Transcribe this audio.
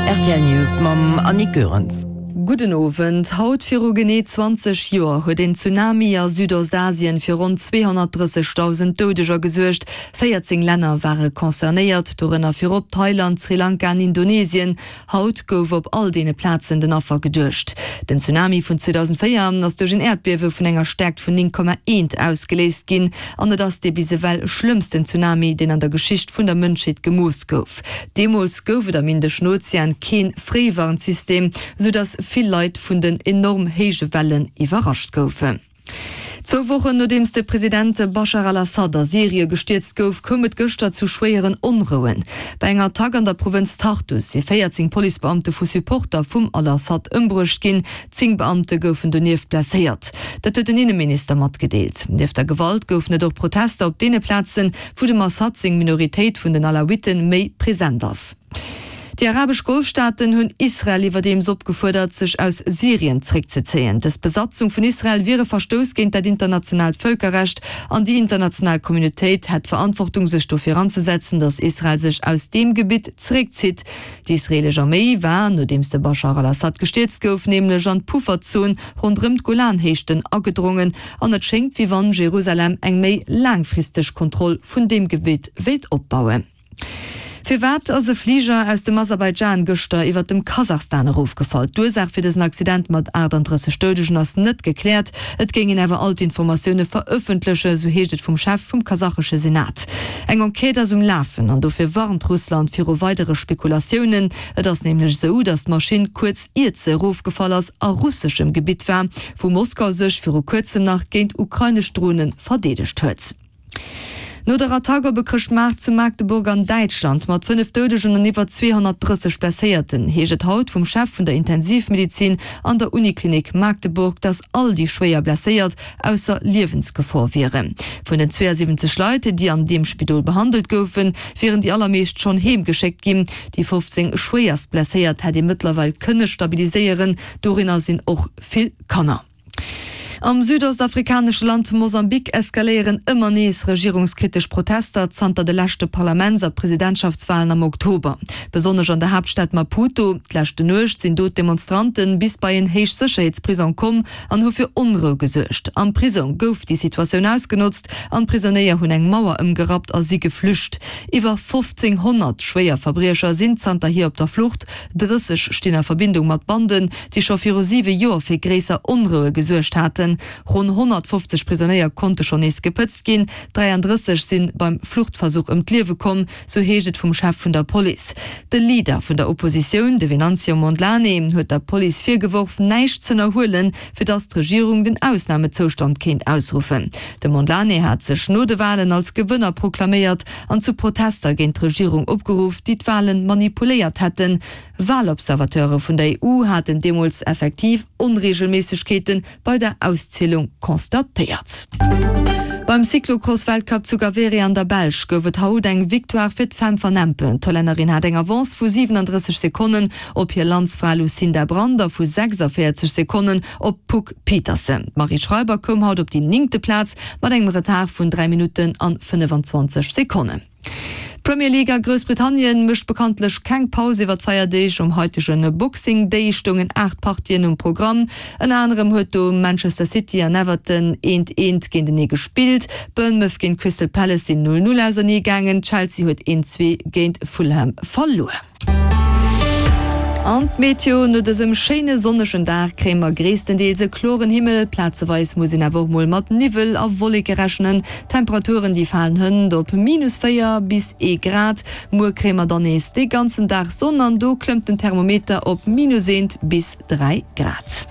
Rtl News mam Annick Goerens. Gudden Owend. Haut viru genee 20 Joer huet een Tsunami a Südostasien fir ronn 230.000 Doudeger gesuergt. 14 Länner ware concernéiert, dorënner virop Thailand, Sri Lanka an Indonesien. Haut gouf op all deene Plazen den Affer geduecht. Den Tsunami vun 2004 ass duerch en Äerdbiewe vun enger Stäerkt vun 9,1 ausgeléist ginn an et ass dee bis ewell schlëmmsten Tsunami, deen an der Geschicht vun der Mënschheet gemooss gouf. Deemools gouf et am Indeschen Ozean kee Fréiwarnsystem, sou datt vill Leit vun den enorm héije Wellen iwwerrascht goufen. Zwou Wochen nodeems de President Baschar al-Assad a Syrie gestierzt gouf, koum et gëschter zu schwéieren Onrouen. Bei enger Attack an der Provënz Tartus si 14 Policebeamte vu Supporter vum al-Assad ëmbruecht ginn. 10 Beamte goufen donieft blesséiert. Dat huet den Inneminister matgedeelt. Nieft der Gewalt goufen et och Protester op deene Plazen, wou dem Assad seng Minoritéit vun den Alawitten méi present ass. Déi arabesch Golfstaaten hunn Israel iwwerdeems opgefuerdert, sech aus Syrien zréckzezéien. Dës Besatzung vun Israel wier e Verstouss géint dat internationaalt Vëlkerrecht an déi international Communautéit hätt d'Verantwortung, sech dofir anzesetzen, datt Israel sech aus deem Gebitt zeréckzitt. Déi israeelesch Arméi war, nodeems de Baschar al-Assad gestierzt gouf, nämlech an d'Pufferzon ronderëm d'Golanhéichten agedrongen an et schéngt, wéi wann Jerusalem eng méi laangfristeg Kontroll vun deem Gebitt wéilt opbauen. Firwat ass e Fliger aus dem Aserbaidschan gëschter iwwer dem Kasachstan erofgefall? D'Ursaach fir dësen Accident mat 38 Doudegen ass net gekläert. Et géing een awer all d'Informatioune verëffentlechen, esou heescht et vum Chef vum kasachesche Senat. Eng Enquête ass um Lafen an dofir warnt Russland viru weidere Spekulatiounen. Et ass nämlech esou, datt d'Maschinn kuerz iert se erofgefall ass, a russeschem Gebitt war, wou Moskau sech viru kuerzem nach géint ukrainesch Drone verdeedegt huet. No der Attack op e Chrëschtmaart zu Magdeburg an Däitschland mat 5 Doudegen an iwwer 230 Blesséierten, heescht et haut vum Chef vun der Intensivmedizin an der Uniklinik Magdeburg, dass all déi schwéier Blesséiert ausser Liewensgefor wieren. Vun den 72 Leit, déi an deem Spidol behandelt goufen, wieren déi allermeescht schonn heem geschéckt ginn. Déi 15 schwéierst Blesséiert hätt ee mëttlerweil kënne stabiliséieren, dorinner sinn och vill Kanner. Am südostafrikanesche Land Mosambik eskaléieren ëmmer nees regierungskritesch Protester zanter de leschte Parlaments a Presidentschaftswalen am Oktober. Besonnesch an der Haaptstad Maputo. D'leschte Nuecht sinn do d'Demonstrante bis bei en Héichsécherheetsprisong komm an hu fir Onrou gesuergt. Am Prisong gouf déi Situatioun ausgenotzt an d'Prisonéier hunn eng Mauer ëmgerappt a si geflücht. Iwwer 1.500 Schwéierverbriecher sinn zanterhier op der Flucht, 30 stinn a Verbindung mat Banden, déi scho viru siwe Joer fir gréisser Onroue gesuergt haten. Ronn 150 Prisonéier konnte schonn nees gepëtzt ginn, 33 si beim Fluchtversuch ëm d'Liewe komm, sou heescht et vum Chef vun der Police. De Leader vun der Oppositioun, de Venancio Mondlane, huet der Police virgeworf, näischt z'ënnerhuelen, fir datt d'Regierung den Ausnamezoustand kéint ausruffen. De Mondlane hat sech no de Walen als Gewënner proklaméiert an zu Protester géint d'Regierung opgeruff, déi d'Wale manipuléiert hätten. Walobservateure vun der EU haten deemools effektiv Onreegelméissegkeete bei der Auszielung constatéiert. Beim Cyclocross-Weltcup zu Gavere an der Belsch gouf et haut eng Victoire fir d'Fem van Empe. D'Hollännerin hat eng Avance vu 37 Sekonnen op hir Landsfra Lucinda Brand a vu 46 Sekonnen op d'Puck Pieterse. D'Marie Schreiber koum haut op déi néngte Plaz mat engem Retard vun 3 Minutten an 25 Sekonnen. D'Premier League a Groussbritannien mécht bekanntlech keng Paus iwwer d'Feierdeeg. Um haitege Boxing Day stoungen 8 Partien um Programm. Ënner anerem huet do Manchester City an Everton eent eent géintenee gespillt. Bournemouth géint Crystal Palace sinn 0, 0 ausernee gaangen. Chelsea huet 1, 2 géint Fulham verluer. An d'Meteo, No dësem schéine sonnegen Dag kréie mer gréisstendeels e kloren Himmel, plazeweis muss een awer och mol mat Niwwel a Wolleke rechnen. D'Temperaturen déi falen hënt op minus 4 bis ee Grad. Muer kréie mer dann nees de ganzen Dag Sonn an do klëmmt den Thermometer op minus eent bis 3 Grad.